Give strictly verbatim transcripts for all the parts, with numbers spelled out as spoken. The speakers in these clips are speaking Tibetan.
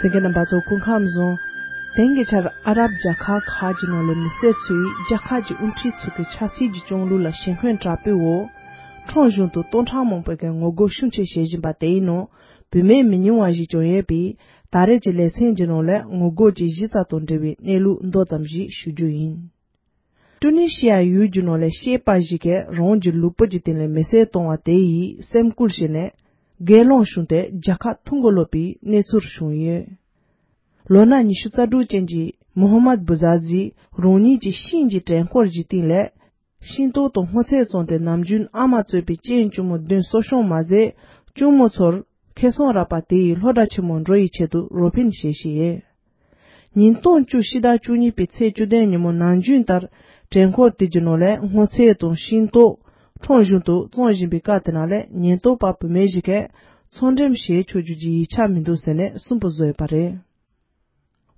གསན་མཁན་རྣམ་པ་ཚོ་སྐུ་ཁམས་བཟང་། དེང་གི་ཆར་ཨ་རབ་རྒྱལ་ཁབ་ཁག་གི་ནང་ལ་མི་སེར་ཚོས་རྒྱལ་ཁབ་ཀྱི་དབུ་ཁྲིད་ཚོ་གི་ཆབ་སྲིད་ཀྱི་སྐྱོང་ལུགས་ལ་ཞེན་ཁོན་དྲག་པོའི་འོག་ཁྲོམ་གཞུང་དུ་སྟོང་ཕྲག་མང་པོའི་ངོ་རྒོལ་ཤུགས་ཆེ་བྱེད་བཞིན་པ་དེའི་ནང་བུད་མེད་མི་ཉུང་བ་ཞིག་ཀྱང་ཡོད་པས། ད་རེས་ཀྱི་ལེ་ཚན་གྱི་ནང་ལ་ངོ་རྒོལ་གྱི་གཞི་རྩ་དང་འབྲེལ་བའི་གནས་ལུགས་མདོ་ཙམ་ཞིག་ཞུ་རྒྱུ་ཡིན། ཀྲུ་ནི་ཤི་ཡ་ཡུལ་གྱི་ནང་ལ་སྐྱེས་པ་ཞིག་གིས་རང་གི་ལུས་པོ་གི་སྟེང་ལ་མེ་སྲེག་བཏང་བ་དེ་ཡིས་སེམས་སྐུལ་བྱས་ནས་སྒེར་ལངས་བྱུང་སྟེ་རྒྱལ་ཁ་ཐོན་གོ་ལོག་པའི་གནས་ཚུལ་བྱུང་ཡོད། ལོ་ན་ཉི་ཤུ་རྩ་དྲུག་ཅན་གྱི་མོ་ཧམ་མད་བུ་ཛ་ཟི་རང་ཉིད་ཀྱི་ཤིང་གི་བྲན་འཁོར་གྱི་སྟེང་ལ་ཤིང་ཏོག་དང་སྔོ་ཚལ་བཙོངས་ཏེ་ནམ་རྒྱུན་ཨ་མ་གཙོས་པའི་གཅེན་གཅུང་མོ་བདུན་གསོ་སྐྱོང་མ་ཟད་གཅུང་མོ་ཚོར་ཁེ་བཟང་རག་པ་དེ་ཡི་སློབ་གྲྭ་ཆེན་མོ་འགྲོ་ཡི་ཆེད་དུ་རོགས་ཕན་བྱེད་བཞིན་ཡོད། ཉིས་སྟོང་བཅུ་ཕྱི་ཟླ་བཅུ་གཉིས་པའི་ཚེས་བཅུ་བདུན་ཉིན་མོ་ནམ་རྒྱུན་ལྟར་བྲན་འཁོར་དེ་གྱི་ནང་ལས་སྔོ་ཚལ་དང་ཤིང་ཏོག་ཁྲོམ་གཞུང་དུ་བཙོང་བཞིན་པའི་སྐབས་དེ་ནང་ལས་ཉེན་རྟོག་པ་བུད་མེད་ཞིག་གིས་ཚོང་འགྲེམས་བྱེད་ཆོག་རྒྱུ་གྱི་ཡིག་ཆ་མི་འདུག་ཟེར་ནས་སུན་པོ་བཟོས་པ་རེད།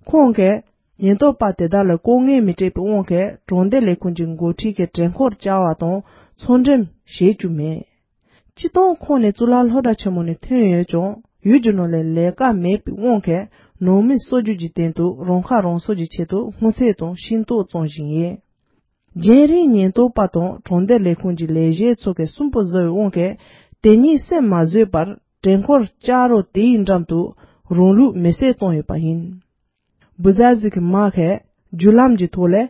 ཁོང་གིས་ཉེན་རྟོག་པ་དེ་དག་ལ་ལྐོག་རྔན་མི་སྤྲད་པའི་དབང་གིས་གྲོང་སྡེ་ལས་ཁུངས་ཀྱི་འགོ་ཁྲིད་ཀྱི་བྲན་འཁོར་བཅར་བ་དང་ཚོང་འགྲེམས་བྱེད་རྒྱུ་མེད། སྤྱིར་བཏང་ཁོང་ནི་གཙུག་ལག་སློབ་གྲྭ་ཆེན་མོ་ནས་ཐོན་ཡོད་ཀྱང་ཡུལ་གྱི་ནང་ལ་ལས་ཀ་མེད་པའི་དབང་གིས་ནང་མི་གསོ་རྒྱུ་གྱི་སྟེང་དུ་རང་ཁ་རང་གསོ་གྱི་ཆེད་དུ་སྔོ་ཚལ་དང་ཤིང་ཏོག་བཙོང་བཞིན་ཡོད། རྒྱང་རིང་ཉེན་རྟོག་པ་དང་གྲོང་སྡེ་ལས་ཁུངས་ཀྱི་ལས་བྱེད་ཚོ་གིས་སུན་པོ་བཟོ་བའི་དབང་གིས་དེ་ཉིད་སེམས་མ་བཟོད་པར་བྲན་འཁོར་བཅའ་རོགས་དེའི་འགྲམ་དུ་རང་ལུས་མེ་བསྲེགས་བཏང་ཡོད་པ་ཡིན། བུ་ཛ་ཟི་གི་མ་གིས་བརྒྱུད་ལམ་གྱི་ཐོག་ལས།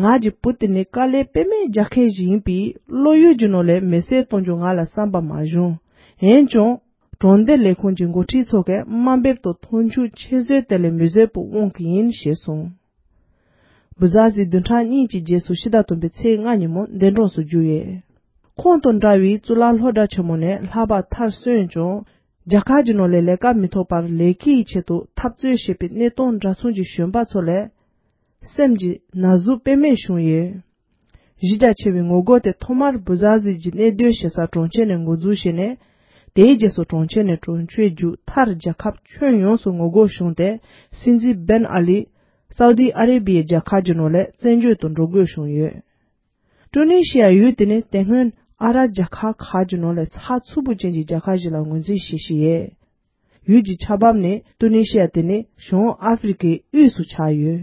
ང་གི་བུ་དེ་ནི་དཀའ་ལས་དཔེ་མེད་རྒྱག་མཁན་ཞིག་ཡིན་པས་བློ་ཡུལ་གྱི་ནང་ལས་མེ་བསྲེགས་གཏོང་རྒྱུ་ང་ལ་བསམ་པ་མ་བྱུང་། འོན་ཀྱང་གྲོང་སྡེ་ལས་ཁུངས་ཀྱི་འགོ་ཁྲིད་ཚོ་གིས་དམའ་འབེབས་དང་མཐོང་ཆུང་ཆེ་བཟོས་དེ་ལས་མི་བཟོད་པའི་དབང་གིས་ཡིན་ཞེས་གསུངས། བུ་ཛ་ཟི་བདུན་ཕྲག་གཉིས་ཀྱི་རྗེས་སུ་ཕྱི་ཟླ་བདུན་པའི་ཚེས་ལྔ་ཉིན་མོ་འདས་གྲོངས་སུ་གྱུར་ཡོད། ཁོང་དང་འདྲ་བའི་གཙུག་ལག་སློབ་གྲྭ་ཆེན་མོ་ནས་ལྷག་པར་མཐར་སོན་ཀྱང་། རྒྱལ་ཁབ་ཀྱི་ནང་ལས་ལས་ཀ་མི་ཐོབ་པར་ལས་ཀའི་ཆེད་དུ་འཐབ་རྩོད་བྱེད་པའི་གནས་སྟངས་འདྲ་མཚུངས་ཀྱི་གཞོན་པ་ཚོ་ལས། སེམས་ཀྱི་ན་ཟུག་དཔེ་མེད་བྱུང་ཡོད། གཞི་རྒྱ་ཆེ་བའི་ངོ་རྒོལ་དེ་ཐོག་མར་བུ་ཛ་ཟི་གྱི་གནས་སྡོད་བྱེད་ས་གྲོང་ཁྱེར་ནས་འགོ་འཛུགས་བྱས་ནས། དེའི་རྗེས་སུ་གྲོང་ཁྱེར་ནས་གྲོང་ཁྱེར་བརྒྱུད་མཐར་རྒྱལ་ཁབ་ཁྱོན་ཡོངས་སུ་ངོ་རྒོལ་བྱུང་སྟེ། སྲིད་འཛིན་བན་ཨ་ལི། སའུ་དི་ཨ་རེ་བྷི་ཡའི་རྒྱལ་ཁབ་ཀྱི་ནང་ལས་བཙན་བྱོལ་དུ་འགྲོ་དགོས་བྱུང་ཡོད། ཀྲུ་ནི་ཤི་ཡ་ཡུལ་དེ་ནི་དེ་སྔོན་ཨ་རབ་རྒྱལ་ཁབ་ཁག་གི་ནང་ལས་ཚགས་ཚུད་པོ་ཅན་གྱི་རྒྱལ་ཁབ་ཞིག་ལ་ངོས་འཛིན་བྱེད་བཞིན་ཡོད། ཡུལ་གྱི་ཆགས་བབ་ནི་ཀྲུ་ནི་ཤི་ཡ་དེ་ནི་བྱང་ཨ་ཧྥེ་རི་ཁའི་དབུས་སུ་ཆགས་ཡོད།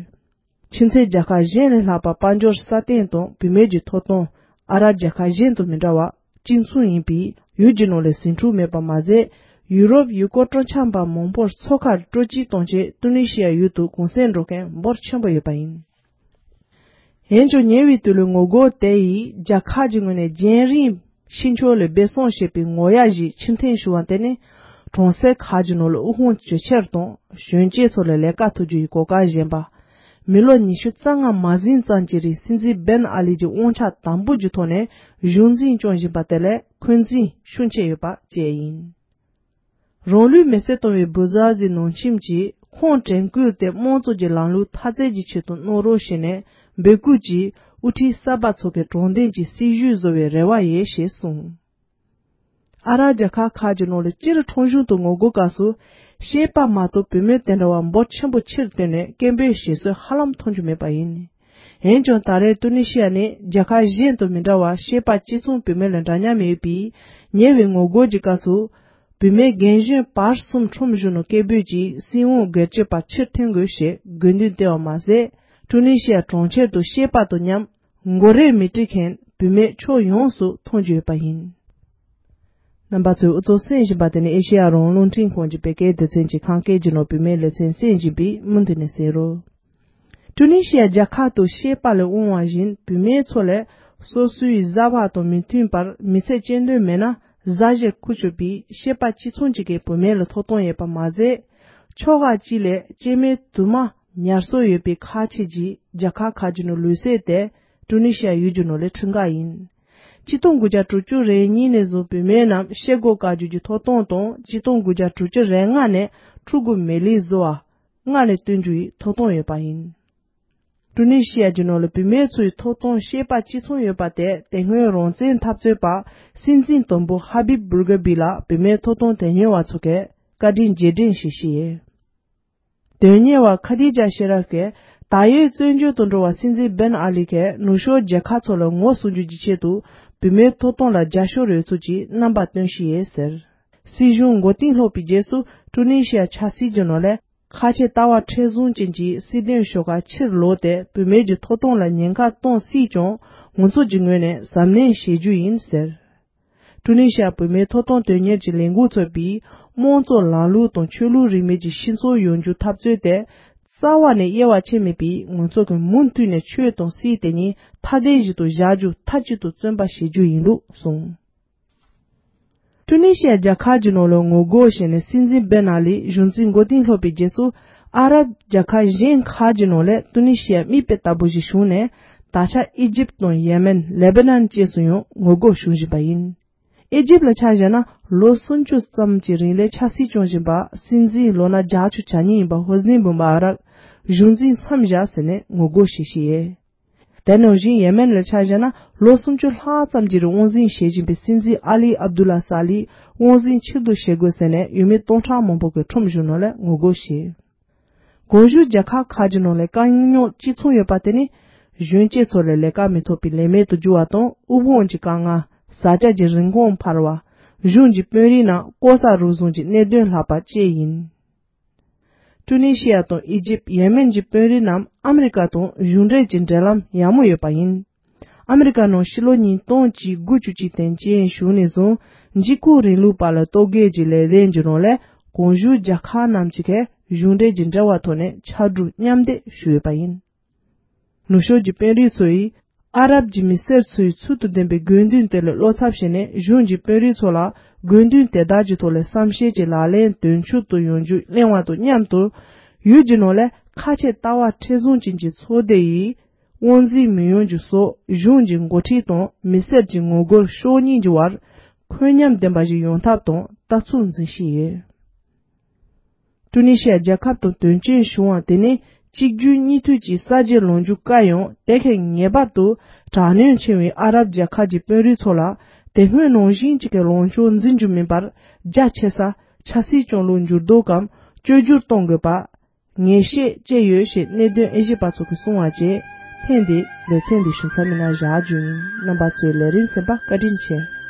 ཕྱི་ཚེས་རྒྱལ་ཁབ་གཞན་ལས་ལྷག་པ་དཔལ་འབྱོར་སྲ་བརྟན་དང་བུད་མེད་ཀྱི་ཐོབ་ཐང་ཨ་རབ་རྒྱལ་ཁབ་གཞན་དང་མི་འདྲ་བ་གཅིག་མཚུངས་ཡིན་པས་ཡུལ་གྱི་ནང་ལས་ཟིང་འཁྲུག་མེད་པ་མ་ཟད། ཡུ་རོབ་ཡུལ་སྐོར་སྤྲོ་འཆམ་པ་མང་པོར་མཚོ་ཁར་སྤྲོ་སྐྱིད་གཏོང་ཆེད་ཀྲུ་ནི་ཤི་ཡ་ཡུལ་དུ་གུང་སེང་འགྲོ་མཁན་འབོར་ཆེན་པོ་ཡོད་པ་ཡིན། འོན་ཀྱང་ཉེ་བའི་དུས་ལ་ངོ་རྒོལ་དེ་ཡིས་རྒྱལ་ཁབ་ཀྱི་ངོས་ནས་རྒྱང་རིང་ཕྱི་ཕྱོགས་ལ་སྦས་གསང་བྱེད་པའི་ངོ་ཡ་ཞིག་ཕྱིར་འཐེན་ཞུ་བ་དེ་ནི་གྲོང་གསེབ་ཁག་གི་ནང་ལ་དབུལ་ཕོངས་ཇེ་ཆེར་དང་གཞོན་སྐྱེས་ཚོ་ལ་ལས་ཀ་ཐོབ་རྒྱུ་ཡི་གོ་སྐབས་ཞན་པ། མི་ལོ་ཉི་ཤུ་རྩ་ལྔ་མ་ཟིན་ཙམ་གྱི་རིང་སྲིད་འཛིན་བན་ཨ་ལི་གྱི་དབང་ཆ་དམ་པོ་གྱི་ཐོག་ནས་གཞུང་འཛིན་སྐྱོང་བཞིན་པ་དེ་ལས་འཁོན་འཛིན་ཤུགས་ཆེ་ཡོད་པ་བཅས་ཡིན། རང་ལུས་མེ་བསྲེགས་བཏང་བའི་བུ་ཛ་ཟི་ནང་ཁྱིམ་གྱིས་ཁོང་དྲན་སྐུལ་དེ་དམངས་གཙོ་གྱི་ལམ་ལུགས་འཐབ་རྩོད་ཀྱི་ཆེད་དུ་གནང་རོགས་ཞེས་ནས་འབོད་སྐུལ་གྱིས་དབུ་ཁྲིད་གསར་པ་ཚོ་གི་དྲང་བདེན་གྱི་སྲིད་བྱུས་བཟོ་བའི་རེ་བ་ཡོད་ཞེས་གསུངས། ཨ་རབ་རྒྱལ་ཁབ་ཁག་གི་ནང་ལ་སྤྱིར་ཁྲོམ་གཞུང་དུ་ངོ་རྒོལ་སྐབས་སུ་སྐྱེས་པ་མ་གཏོགས་བུད་མེད་དེ་འདྲ་བ་འབོར་ཆེན་པོ་ཕྱིར་བཏོན་ནས་སྐད་འབོད་བྱེད་སྲོལ་ཧ་ལམ་མཐོང་རྒྱུ་མེད་པ་ཡིན། འོན་ཀྱང་ད་རེས་ཏུ་ནི་ཤི་ཡ་ནི་རྒྱལ་ཁབ་གཞན་དང་མི་འདྲ་བར་སྐྱེས་པ་གཅིག་མཚུངས་བུད་མེད་ལ་འདྲ་མཉམ་ཡོད་པས་ཉེ་བའི་ངོ་རྒོལ་གྱི་སྐབས་སུ་བུད་མེད་རྒན་གཞོན་བར་གསུམ་ཁྲོམ་གཞུང་ནང་སྐད་འབོད་ཀྱིས་སྲིད་དབང་སྒེར་གཅོད་པ་ཕྱིར་འཐེན་དགོས་ཞེས་དགོས་འདུན་བཏོན་པ་མ་ཟད་ཀྲུ་ནི་ཤི་ཡ་གྲོང་ཁྱེར་དུ་སྐྱེས་པ་དང་མཉམ་མགོ་རས་མི་དཀྲིས་མཁན་བུད་མེད་ཕྱོགས་ཡོངས་སུ་མཐོང་རྒྱུ་ཡོད་པ་ཡིན། རྣམ་པ་ཚོས་འུ་ཚོ་གསན་བཞིན་པ་དེ་ནི་ཨེ་ཤེ་ཡ་རང་དབང་རླུང་འཕྲིན་ཁང་གི་བོད་སྐད་སྡེ་ཚན་གྱི་ཁམས་སྐད་ཀྱི་ནང་བུད་མེད་ལེ་ཚན་གསན་བཞིན་པས་མུ་མཐུད་ནས་གསན་རོགས། ཀྲུ་ནི་ཤི་ཡ་རྒྱལ་ཁབ་ཏུ་སྐྱེས་པ་ལས་དབང་བ་བཞིན་བུད་མེད་ཚོ་ལས་སོ་སོའི་བཟའ་བ་དང་མི་མཐུན་པར་མི་ཚེ་སྐྱེལ་འདོད་མེད་ན་བཟའ་བཞེས་ཁུར་ཆོག་པའི་སྐྱེས་པ་གཅིག་མཚུངས་གཅིག་གི་བུད་མེད་ལ་ཐོབ་ཐང་ཡོད་པ་མ་ཟད། ཕྱོགས་ཁག་ཅིག་ལས་སྐྱེས་དམན་དུ་མ་ཉར་སྲོལ་ཡོད་པའི་ཁག་ཆེ་གྱི་རྒྱལ་ཁབ་ཁག་ཅིག་ནང་ལུགས་སྲོལ་དེ་ཀྲུ་ནི་ཤི་ཡ་ཡུལ་གྱི་ནང་ལས་ཁྲིམས་འགལ་ཡིན། ཆིག་སྟོང་དགུ་བརྒྱ་དྲུག་ཅུ་རེ་གཉིས་ནས་བཟུང་བུད་མེད་རྣམས་ཤེལ་སྒོ་བཀག་རྒྱུ་གྱི་ཐོབ་ཐང་དང་ཆིག་སྟོང་དགུ་བརྒྱ་དྲུག་ཅུ་རེ་ལྔ་ནས་ཕྲུ་གུ་མི་ལུས་བཟོ་བ། སྔར་ལས་བཏོན་རྒྱུ་ཡི་ཐོབ་ཐང་ཡོད་པ་ཡིན། ཀྲུ་ནི་ཤི་ཡ་གྱི་ནང་ལ་བུད་མེད་ཚོའི་ཐོབ་ཐང་སྐྱེས་པ་གཅིག་མཚུངས་ཡོད་པ་དེ་དེ་སྔོན་རང་བཙན་འཐབ་རྩོད་པ་སྲིད་འཛིན་དང་པོ་ཧ་བིབ་བུར་ག་བི་ལ་བུད་མེད་ཐོབ་ཐང་དོན་གཉེར་བ་ཚོ་གིས་བཀའ་དྲིན་རྗེས་དྲན་ཞིག་བྱས་ཡོད། དོན་གཉེར་བ་ཁ་དི་ཇ་ཤེ་རབ་ཀྱིས་ད་ཡོད་བཙན་བྱོལ་དུ་འགྲོ་བ་སྲིད་འཛིན་བན་ཨ་ལི་གིས་ནུབ་ཕྱོགས་རྒྱལ་ཁབ་ཚོ་ལ་ངོ་སྲུང་རྒྱུ་གྱི་ཆེད་དུ་བུད་མེད་ཐོབ་ཐང་ལ་རྒྱབ་སྐྱོར་ཡོད་ཚུལ་གྱི་རྣམ་པ་སྟོན་བཞིན་ཡོད་ཟེར། སྲིད་གཞུང་མགོ་རྟིང་སློག་པའི་རྗེས་སུ་ཀྲུ་ནི་ཤི་ཡ་ཆབ་སྲིད་ཀྱི་ནང་ལས་ ཁ་ཆེ་ལྟ་བ་མཁྲེགས་བཟུང་ཅན་གྱི་སྲིད་དོན་ཤོག་ཁག་ཕྱིར་ལོག་སྟེ་བུད་མེད་ཀྱི་ཐོབ་ཐང་ལ་ཉེན་ཁ་གཏོང་སྲིད་ཀྱང་། ང་ཚོ་གྱི་ངོས་ནས་གཟབ་ནན་བྱེད་རྒྱུ་ཡིན་ཟེར། ཀྲུ་ནི་ཤི་ཡ་བུད་མེད་ཐོབ་ཐང་དོན་གཉེར་གྱི་ལས་འགུལ་ཚོགས་པས། དམངས་གཙོ་ལམ་ལུགས་དང་ཆོས་ལུགས་རིས་མེད་ཀྱི་སྤྱི་ཚོགས་ཡོང་རྒྱུ་འཐབ་རྩོད་དེ། རྩ་བ་ནས་དབྱེ་བ་ཕྱེ་མེད་པའི། ང་ཚོ་གི་མུ་མཐུད་ནས་ཆོས་དང་སྲིད་དེ་གཉིས་ཐ་དད་ཞིག་ཏུ་བཞག་རྒྱུ་མཐའ་གཅིག་ཏུ་བརྩོན་པ་བྱེད་རྒྱུ་ཡིན་ལུགས་གསུངས། ཀྲུ་ནི་ཤི་ཡ་རྒྱལ་ཁབ་ཀྱི་ནང་ལ་ངོ་རྒོལ་བྱས་ནས། སྲིད་འཛིན་བེན་ཨ་ལི་གཞུང་འཛིན་མགོ་རྟིང་སློག་པའི་རྗེས་སུ། ཨ་རབ་རྒྱལ་ཁབ་གཞན་ཁག་གི་ནང་ལ་ཀྲུ་ནི་ཤི་ཡ་མིག་དཔེ་ལྟ་བུ་ཞིག་བྱུང་ནས། ད་ཆ་ཨི་ཇིབ་དང་ཡེ་མེན། ལེ་བྷ་ནན་བཅས་སུ་ཡང་ངོ་རྒོལ་བྱུང་བཞིན་པ་ཡིན། ཨི་ཇིབ་ལ་ཆ་བཞག་ན། ལོ་སུམ་ཅུ་ཙམ་གྱི་རིང་ལ་ཆབ་སྲིད་སྐྱོང་བཞིན་པ། སྲིད་འཛིན་ལོ་ན་བརྒྱད་ཅུ་གྱ་གཉིས་ཡིན་པ་ཧོ་སི་ནི་མུ་བ་རག་གཞུང་འཛིན་མཚམས་བཞག་ཟེར་ནས་ངོ་རྒོལ་བྱེད་བཞིན་ཡོད། དེ་ནང་བཞིན་ཡེ་མེན་ལ་ཆ་བཞག་ན། ལོ་སུམ་ཅུ་ལྷག་ཙམ་གྱི་རིང་དབང་འཛིན་བྱེད་བཞིན་པའི་སྲིད་འཛིན་ཨ་ལི་ཨབ་དུ་ལ་ས་ལི་དབང་འཛིན་ཕྱིར་བསྡུ་བྱེད་དགོས་ཟེར་ནས། ཡུལ་མི་སྟོང་ཕྲག་མང་པོ་གིས་ཁྲོམ་བཞུགས་ནང་ལ་ངོ་རྒོལ་བྱས། གོང་ཞུས་རྒྱལ་ཁབ་ཁག་གི་ནང་ལ་དཀའ་རྙོག་གཅིག་མཚུངས་ཡོད་པ་དེ་ནི། གཞོན་སྐྱེས་ཚོ་ལ་ལས་ཀ་མི་ཐོབ་པའི་ལས་མེད་དུ་གྱུར་བ་དང་། དབུལ་ཕོངས་ཀྱི་དཀའ་ངལ། བཟའ་བཅའ་གྱི་རིན་གོང་འཕར་བ། གཞུང་གི་དཔོན་རིགས་རྣམས་ལྐོག་ཟ་རུལ་སུངས་ཀྱི་གནད་དོན་ལྷག་པ་བཅས་ཡིན། ཀྲུ་ནི་ཤི་ཡ་དང་ཨི་ཇིབ། ཡེ་མེན་གྱི་དཔོན་རིགས་རྣམས་ཨ་མི་རི་ཀ་དང་གཞུང་འབྲེལ་གྱི་འབྲེལ་ལམ་ཡག་མོ་ཡོད་པ་ཡིན། ཨ་མི་རི་ཀ་ནང་ཕྱི་ལོ་ཉིས་སྟོང་དགུ་བཅུ་གཅིག་དེ་ཅན་བྱུང་ནས་བཟུང་། འཇིགས་སྐུལ་རིང་ལུགས་པ་ལ་གཏོར་རྒོལ་གྱི་ལས་དོན་གྱི་ནང་ལ། གོང་ཞུས་རྒྱལ་ཁབ་རྣམས་ཀྱི་ཁ་གཞུང་འབྲེལ་གྱི་འབྲེལ་བ་ཐོག་ནས་ཕྱར་གྲུ་མཉམ་འདེགས་ཞུས་ཡོད་པ་ཡིན། ནུབ་ཕྱོགས་ཀྱི་དཔོན་རིགས་ཚོ་ཡིས་ཨ་རབ་ཀྱི་མི་སེར་ཚོའི་ཚུལ་དང་ལྡན་པའི་དགོས་འདུན་དེ་ལ་བློ་འཚབ་བྱས་ནས། གཞུང་གི་དཔོན་རིགས་ཚོ་ལ་དགོས་འདུན་དེ་དག་གི་ཐོག་ལ་བསམ་ཤེས་ཀྱི་ལག་ལེན་དོན་འཁྱོལ་དུ་ཡོང་རྒྱུ་གླེང་བ་དང་མཉམ་དུ། ཡུལ་གྱི་ནང་ལ་ཁ་ཆེ་ལྟ་བ་མཁྲེགས་བཟུང་ཅན་གྱི་ཚོགས་སྡེ་ཡིས་དབང་འཛིན་མི་ཡོང་རྒྱུ་སོགས། གཞུང་གི་འགོ་ཁྲིད་དང་མི་སེར་གྱི་ངོ་རྒོལ་ཕྱོགས་གཉིས་ཀྱི་བར་འཁོན་ཉམས་ལྡན་པ་ཞིག་ཡོང་ཐབས་དང་ལྟ་ཚུལ་འཛིན་བཞིན་ཡོད། ཀྲུ་ནི་ཤི་ཡ་རྒྱལ་ཁབ་དང་དོན་རྐྱེན་བྱུང་བ་དེ་ནི། གཅིག་གྱུར་གཉིས་མཐུད་ཀྱི་གསར་བརྗེ་ལངས་རྒྱུ་དཀའ་ཡང་། དེ་གས་ངེས་པར་དུ་དྲག་གནོན་ཆེ་བའི་ཨ་རབ་རྒྱལ་ཁབ་ཀྱི་དཔོན་རིགས་ཚོ་ལ། དེ་སྔོན་ནང་བཞིན་གཅིག་གི་ལངས་ཕྱོགས་འཛིན་རྒྱུ་མིན་པར། རྒྱ་ཆེ་ས་ཆབ་སྲིད་སྐྱོང་ལུགས་འགྱུར་ལྡོག་གམ་བཅོས་བསྒྱུར་གཏོང་དགོས་པ་ངེས་ཤེས་བཅས་ཡོད་ཞེས་གནད་དོན་དབྱེ་ཞིབ་པ་ཚོ་གིས་གསུངས་པ་བཅས། ཐེངས་འདིའི་ལེ་ཚན་འདི་ཞུ་མཚམས་མི་སྣ་བཞག་རྒྱུ་ཡིན། རྣམ་པ་ཚོས་ལས་རིམ་གསན་པ་བཀའ་དྲིན་ཆེ།